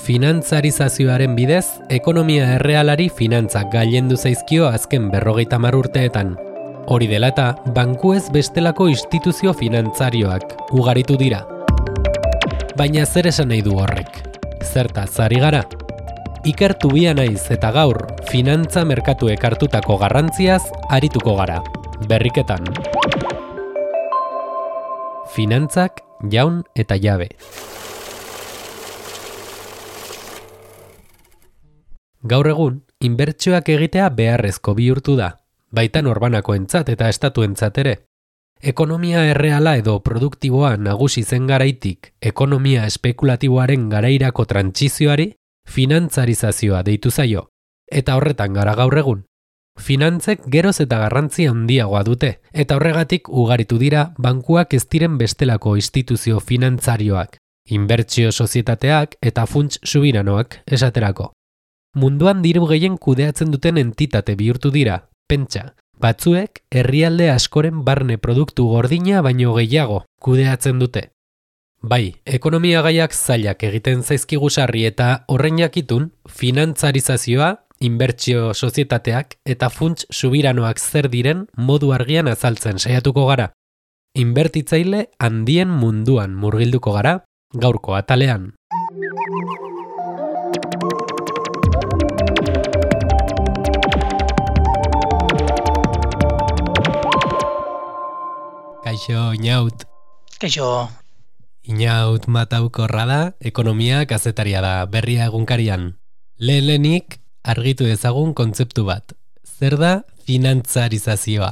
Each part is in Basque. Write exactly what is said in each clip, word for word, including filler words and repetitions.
Finantzarizazioaren bidez, ekonomia errealari finantzak gailendu zaizkio azken berrogeita hamar urteetan. Hori dela eta, bankuez bestelako instituzio finantzarioak ugaritu dira. Baina zer esan nahi du horrek? Zertaz ari gara? Ikertu bia naiz eta gaur, finantza merkatuek hartutako garrantziaz arituko gara. Berriketan. Finantzak, jaun eta jabe. Gaur egun, inbertsioak egitea beharrezko bihurtu da, baita norbanakoentzat eta estatuentzat ere. Ekonomia erreala edo produktiboa nagusi zen garaitik, ekonomia espekulatiboaren garairako trantsizioari, finantzarizazioa deitu zaio, eta horretan gara gaur egun. Finantzek geroz eta garrantzi handiagoa dute, eta horregatik ugaritu dira bankuak ez diren bestelako instituzio finantzarioak, inbertsio sozietateak eta funts subiranoak esaterako. Munduan diru gehien kudeatzen duten entitate bihurtu dira, pentsa, batzuek herrialde askoren barne produktu gordina baino gehiago kudeatzen dute. Bai, ekonomia gaiak zailak egiten zaizkigu sarri eta horren jakitun, finantzarizazioa, inbertsio sozietateak eta funts subiranoak zer diren modu argian azaltzen saiatuko gara. Inbertitzaile handien munduan murgilduko gara, gaurko atalean. Kaixo, Inaut. Kaixo. Inaut Mataukorra da, ekonomia kazetaria da, Berria egunkarian. Lehen-lehenik argitu dezagun kontzeptu bat. Zer da finantzarizazioa?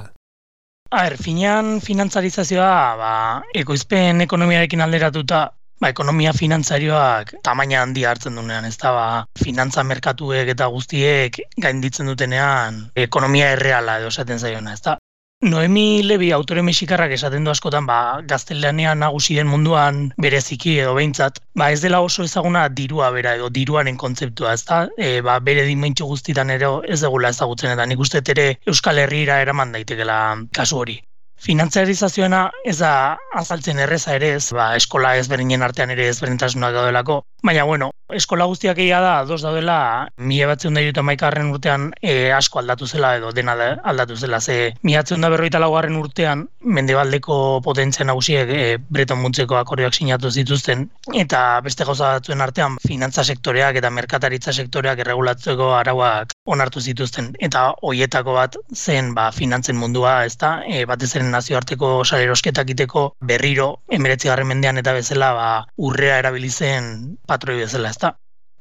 A ber, finean finantzarizazioa, ba, ekoizpen ekonomiarekin alderatuta, ba, ekonomia finantzarioak tamaina handia hartzen duenean, ez da, ba, finantza merkatuek eta guztiek gainditzen dutenean ekonomia erreala edo esaten zaiona, ez da. Noemi Levi autore mexikarrak esaten du askotan, ba, gaztelanian nagusi den munduan bereziki edo behintzat, ba, ez dela oso ezaguna dirua bera edo diruaren kontzeptua, ez da, e, ba, bere dimentsu guztitan ere ez degula ezagutzen, eta nik uste ere Euskal Herrira eraman daitekela kasu hori. Finantzarizazioena ez da azaltzen erreza ere ez, ba, eskola ezberdinen artean ere ezberdintasunak daudelako, baina bueno, eskola guztiak egia da, ados daudela, mila batziehun eta hirurogeita hamaikagarren urtean e, asko aldatu zela edo dena aldatu zela, ze mila batziehun eta berrogeita laugarren urtean mendebaldeko potentzia nagusiek e, Bretton Woodseko akordioak sinatu zituzten, eta beste gauza batzuen artean finantza sektoreak eta merkataritza sektoreak erregulatzeko arauak onartu zituzten, eta hoietako bat zen ba, finantzen mundua, ezta, e, batez ere nazioarteko salerosketak iteko berriro hemeretzigarren mendean eta bezala ba, urrea erabili zen patroi bezala, ezta.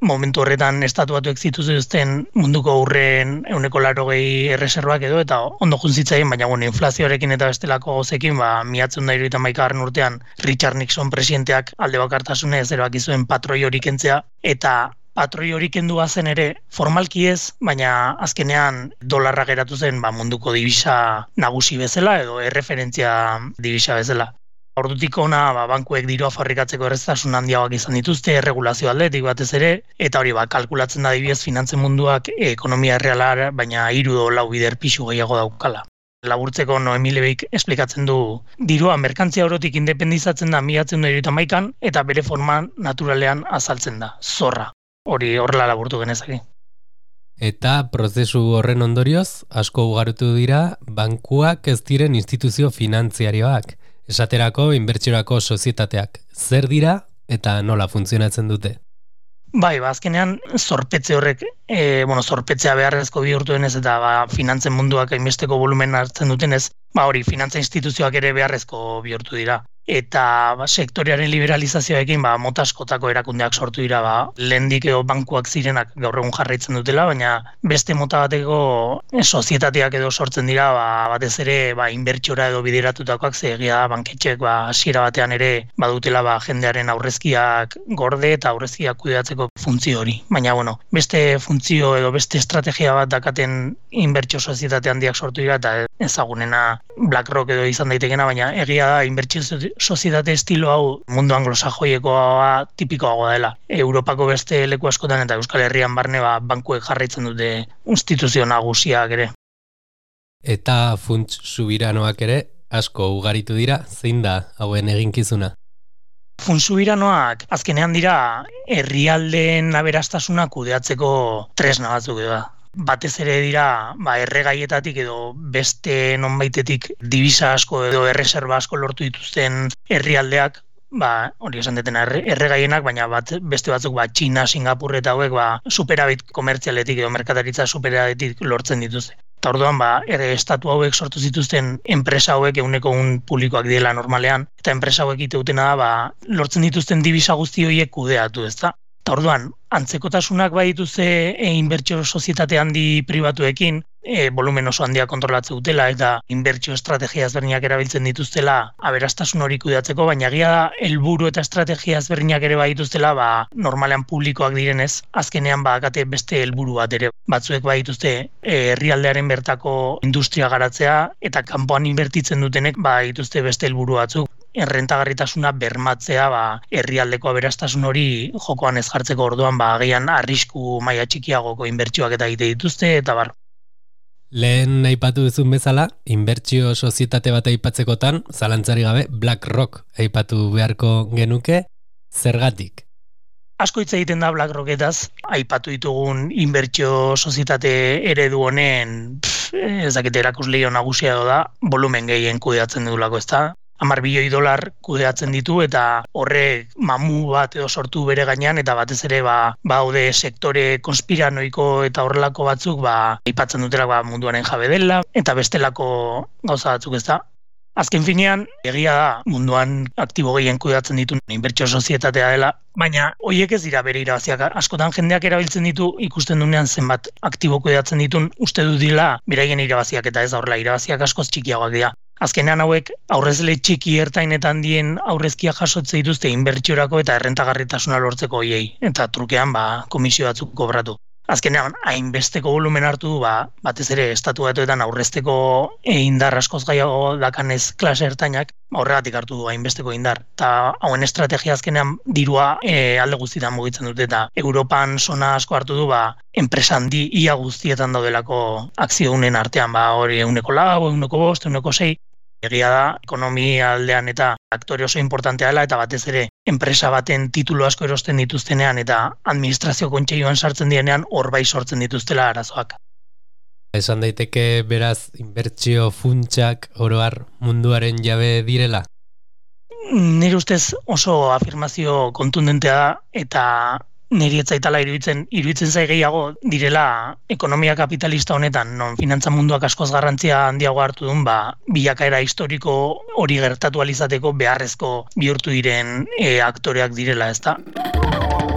Momentu horretan estatu batuek zituzten munduko urreen ehuneko laurogei erreserbak edo eta ondo juntzitzaien, baina bueno, inflazioarekin eta bestelako gauzekin, ba, mila batziehun eta hirurogeita hamaikagarren urtean Richard Nixon presidenteak alde bakartasunez erabaki zuen patroi hori kentzea, eta patroi hori kendu zen ere, formalki ez, baina azkenean dolarra geratu zen ba, munduko dibisa nagusi bezala edo erreferentzia dibisa bezala. Ordutik ona ba, bankuek dirua fabrikatzeko erreztasun handiagoak izan dituzte, erregulazio aldetik batez ere, eta hori ba, kalkulatzen da adibidez finantzen munduak e, ekonomia erreala, baina hiru do lau bider pisu gehiago daukala. Laburtzeko Noemi Levik esplikatzen du, dirua merkantzia orotik independizatzen da mila batziehun eta hirurogeita hamaikan eta bere forma naturalean azaltzen da, zorra. Hori horrela laburtu genezake. Eta prozesu horren ondorioz, asko ugarutu dira, bankuak ez diren instituzio finantziarioak, esaterako inbertsiorako sozietateak. Zer dira eta nola funtzionatzen dute? Bai, ba, azkenean zorpetze horrek, e, bueno, zorpetzea beharrezko bihurtu denez eta ba, finantzen munduak hainbesteko volumen hartzen dutenez, ba hori, finantza instituzioak ere beharrezko bihurtu dira. Eta ba, sektorearen liberalizazioekin ba, mota askotako erakundeak sortu dira, ba, lehendik edo bankuak zirenak gaur egun jarraitzen dutela, baina beste mota bateko e, sozietateak edo sortzen dira, ba, batez ere ba, inbertsiora edo bideratutakoak, ze egia da banketxeek ba, hasiera batean ere badutela ba, jendearen aurrezkiak gorde eta aurrezkiak kudeatzeko funtzio hori. Baina bueno, beste funtzio edo beste estrategia bat dakaten inbertsio sozietate handiak sortu dira, eta ezagunena BlackRock edo izan daitekena, baina egia da inbertsio sozietate estilo hau mundu anglosajoiekoa tipikoagoa dela. Europako beste leku askotan eta Euskal Herrian barne ba, bankuek jarraitzen dute instituzio nagusiak ere. Eta funts subiranoak ere asko ugaritu dira, zein da hauen eginkizuna? Funtsubiranoak azkenean dira herrialdeen aberastasuna kudeatzeko tresna batzuk da. Batez ere dira ba, erregaietatik edo beste nonbaitetik divisa asko edo erreserba asko lortu dituzten herrialdeak, ba, hori esan detena erregaienak, baina bat, beste batzuk ba, Txina, Singapur eta hauek ba, superabit komertzialetik edo merkataritza superabitik lortzen dituzte. Eta orduan, ba, ere estatu hauek sortu zituzten enpresa hauek ehuneko un publikoak direla normalean, eta enpresa hauek iteutena da, ba, lortzen dituzten divisa guzti horiek kudeatu, ezta? Eta orduan, antzekotasunak bai dituzte e, inbertsio sozietate handi pribatuekin, e, volumen oso handia kontrolatze dutela eta inbertsio estrategia ezberdinak erabiltzen dituztela aberastasun hori kudeatzeko, baina egia da helburu eta estrategia ezberdinak ere bai dituztela, ba, normalean publikoak direnez, azkenean badakate beste helburu bat ere. Batzuek bai dituzte herrialdearen bertako industria garatzea eta kanpoan inbertitzen dutenek bai dituzte beste helburu batzuk. Errentagarritasuna bermatzea ba, herrialdeko aberastasun hori jokoan ez jartzeko orduan ba, agian arrisku maila txikiagoko inbertsioak eta egite dituzte eta bar. Lehen aipatu duzun bezala, inbertsio sozietate bat aipatzekotan, zalantzari gabe BlackRock aipatu beharko genuke, zergatik? Asko hitz egiten da BlackRocketaz, aipatu ditugun inbertsio sozietate eredu honen, pff, ez dakit erakusleio nagusia da, volumen gehien kudeatzen dudulako, ez da? Hamar bilioi dolar kudeatzen ditu eta horrek mamu bat edo sortu bere gainean eta batez ere ba, baude sektore konspiranoiko eta horrelako batzuk ba, aipatzen dutela ba, munduaren jabe dela eta bestelako gauza batzuk ez da. Azken finean, egia da munduan aktibo gehien kudeatzen ditu inbertsio sozietatea dela, baina horiek ez dira bere irabaziak. Askotan jendeak erabiltzen ditu ikusten dunean zenbat aktibo kudeatzen ditun uste du dila beraien irabaziak eta ez horrela irabaziak askoz txikiagoak dira. Azkenean hauek aurrezle txiki ertain eta handien aurrezkia jasotze dituzte inbertsiorako eta errentagarritasuna lortzeko hoiei eta trukean ba, komisio batzuk kobratu. Azkenean hainbesteko volumen hartu du ba, batez ere estatu batuetan aurrezteko indar askoz gehiago dakanez klase ertainak, horregatik hartu du hainbesteko indar. Eta hauen estrategia azkenean dirua e, alde guztietan mugitzen dute eta Europan zona asko hartu du ba, enpresa handi ia guztietan daudelako akziodunen artean, ba, hori ehuneko lau, ehuneko bost, ehuneko sei. Egia da, ekonomia aldean eta aktore oso importantea dela eta batez ere enpresa baten titulu asko erosten dituztenean eta administrazio kontseiluan sartzen dienean hor bai sortzen dituztela arazoak. Esan daiteke beraz inbertsio funtsak oro har munduaren jabe direla? Nire ustez oso afirmazio kontundentea da eta niri ez zaitala iruditzen, iruditzen zai gehiago direla ekonomia kapitalista honetan, non finantza munduak askoz garrantzia handiago hartu duen, ba, bilakaera historiko hori gertatu alizateko beharrezko bihurtu diren e, aktoreak direla, ezta?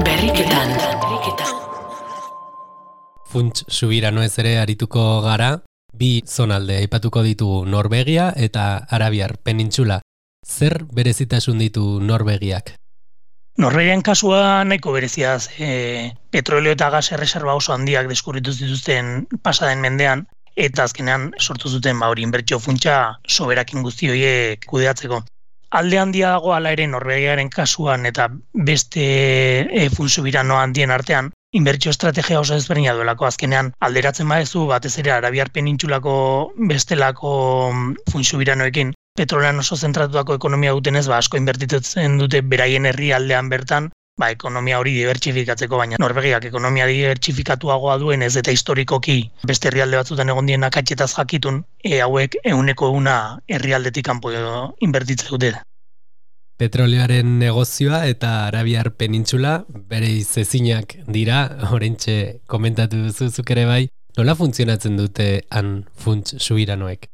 Berriketan, berriketan. Funts subirano ez ere arituko gara, bi zonalde aipatuko ditugu Norvegia eta Arabiar Penintsula. Zer berezitasun ditu Norvegiak? Norvegian kasua nahiko bereziaz, e, petrolio eta gas erreserba oso handiak deskurritu zituzten pasaden mendean, eta azkenean sortu zuten ba hori inbertsio funtsa soberakin guzti horiek kudeatzeko. Alde handia dago hala ere Norvegiaren kasuan eta beste e, funtsubirano handien artean, inbertsio estrategia oso ezberdina duelako azkenean alderatzen badezu batez ere Arabiar Penintsulako bestelako funtsubiranoekin petrolean oso zentratutako ekonomia dutenez, ba, asko inbertitzen dute beraien herrialdean bertan, ba, ekonomia hori dibertsifikatzeko, baina Norvegiak ekonomia dibertsifikatuagoa duen ez eta historikoki beste herrialde batzutan egon dien akatxetaz jakitun, e, hauek ehuneko una herrialdetik kanpo inbertitzen dute. Petroleoaren negozioa eta Arabiar Penintsula bere izezinak dira, oraintxe komentatu duzuzuk ere bai, nola funtzionatzen dute han funts subiranoek?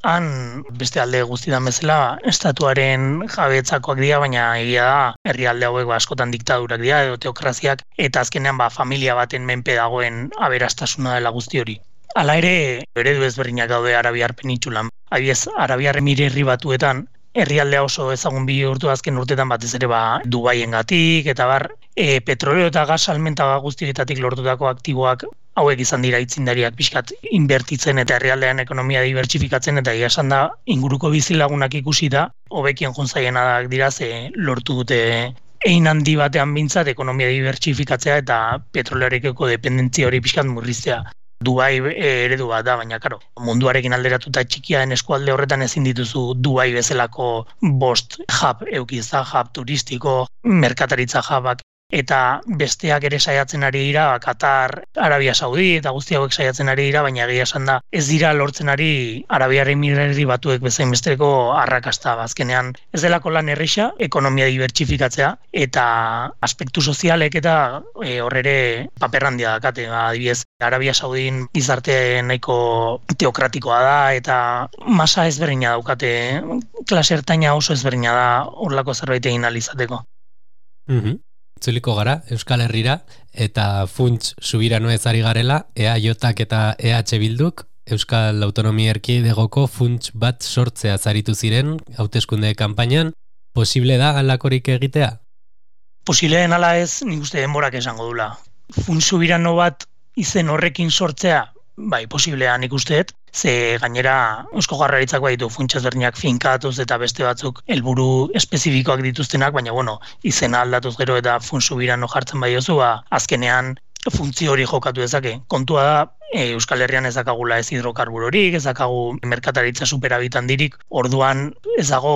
Han beste alde guztietan bezala estatuaren jabetzakoak dira, baina egia da herrialde hauek ba, askotan diktadurak dira edo teokraziak eta azkenean ba, familia baten menpe dagoen aberastasuna dela guzti hori. Hala ere, eredu ezberdinak daude Arabiar Penintsulan. Adibidez, Arabiar Emirerri Batuetan herrialdea oso ezagun bihurtu azken urtetan batez ere ba, Dubaiengatik eta bar e, petrolio eta gas salmenta guztietatik lortutako aktiboak hauek izan dira aitzindariak pixkat inbertitzen eta herrialdean ekonomia dibertsifikatzen eta egia esan da inguruko bizilagunak ikusi da hobekien jonzaiena dira ze lortu dute ein handi batean bintzat ekonomia dibertsifikatzea eta petrolearekiko dependentzia hori pixkat murriztea. Dubai eredu bat da, baina karo, munduarekin alderatuta txikia den eskualde horretan ezin dituzu Dubai bezalako bost hub eukiza, hub turistiko, merkataritza hubak, eta besteak ere saiatzen ari dira, Katar, Arabia Saudi eta guzti hauek saiatzen ari dira, baina egia esan da ez dira lortzen ari Arabiar Emiraturi Batuek bezain besteko arrakasta. Azkenean ez delako lan erresa, ekonomia dibertsifikatzea eta aspektu sozialek eta e, hor ere paper handia dakate. Adibidez, Arabia Saudin gizarte nahiko teokratikoa da eta masa ezberdina daukate, klase ertaina oso ezberdina da horlako zerbait egin ahal izateko. Mhm. Itzuliko gara, Euskal Herrira, eta funts subiranoa ezari garela, E A J eta E H Bilduk, Euskal Autonomia Erkidegoko funts bat sortzea zaritu ziren, hauteskunde kanpainan, posible da halakorik egitea? Posible den ala ez, nik uste denborak esango dula. Funts subirano bat izen horrekin sortzea, bai, posiblea nik usteet, ze gainera Eusko Jaurlaritzak baditu funtsa ezberdinak finkatuz eta beste batzuk helburu espezifikoak dituztenak, baina bueno, izena aldatuz gero eta funts subirano jartzen badiozu, ba, azkenean funtzio hori jokatu dezake. Kontua da, e, Euskal Herrian ez dakagula ez hidrokarburorik, ez dakagu merkataritza superabit handirik, orduan ez dago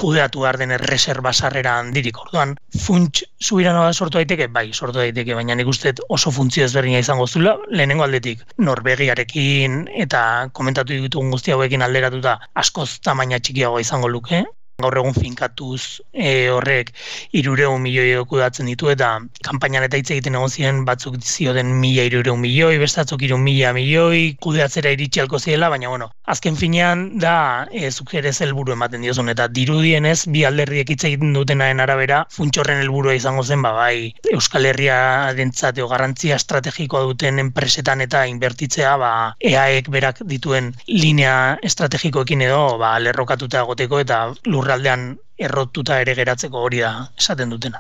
kudeatu behar den erreserba sarrera handirik. Orduan, funts subiranoa sortu daiteke, bai, sortu daiteke, baina nik uste oso funtzio ezberdina izango zula, lehenengo aldetik Norvegiarekin eta komentatu ditugun guzti hauekin alderatuta askoz tamaina txikiagoa izango luke. Gaur egun finkatuz e, horrek hirurehun milioi kudeatzen ditu eta kanpainan eta hitz egiten egon ziren batzuk zioten mila hirurehun milioi, beste batzuk hiru mila milioi kudeatzera iritsi halko ziela, baina bueno, azken finean da e, zuk ere helburu ematen diozun eta dirudienez bi alderdiek hitz egiten dutenaren arabera funts horren helburua izango zen, ba bai, Euskal Herriarentzat garrantzia estrategikoa duten enpresetan eta inbertitzea, ba E A Ek berak dituen linea estrategikoekin edo ba lerrokatuta egoteko eta lur aldean errotuta ere geratzeko hori da esaten dutena.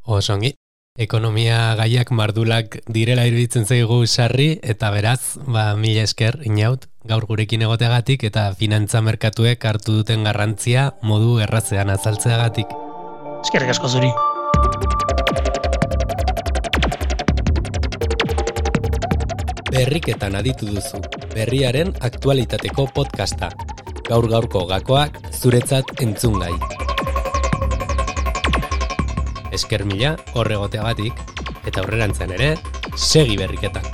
Osongi, ekonomia gaiak mardulak direla iruditzen zaigu sarri, eta beraz, ba, mila esker, Inaut, gaur gurekin egoteagatik eta finantza merkatuek hartu duten garrantzia modu errazean azaltzeagatik. Eskerrik asko zuri. Berriketan aditu duzu, berriaren aktualitateko podcasta. Gaur-gaurko gakoak zuretzat entzungai. Esker mila horregoteagatik, eta aurrerantzean ere, segi berriketan.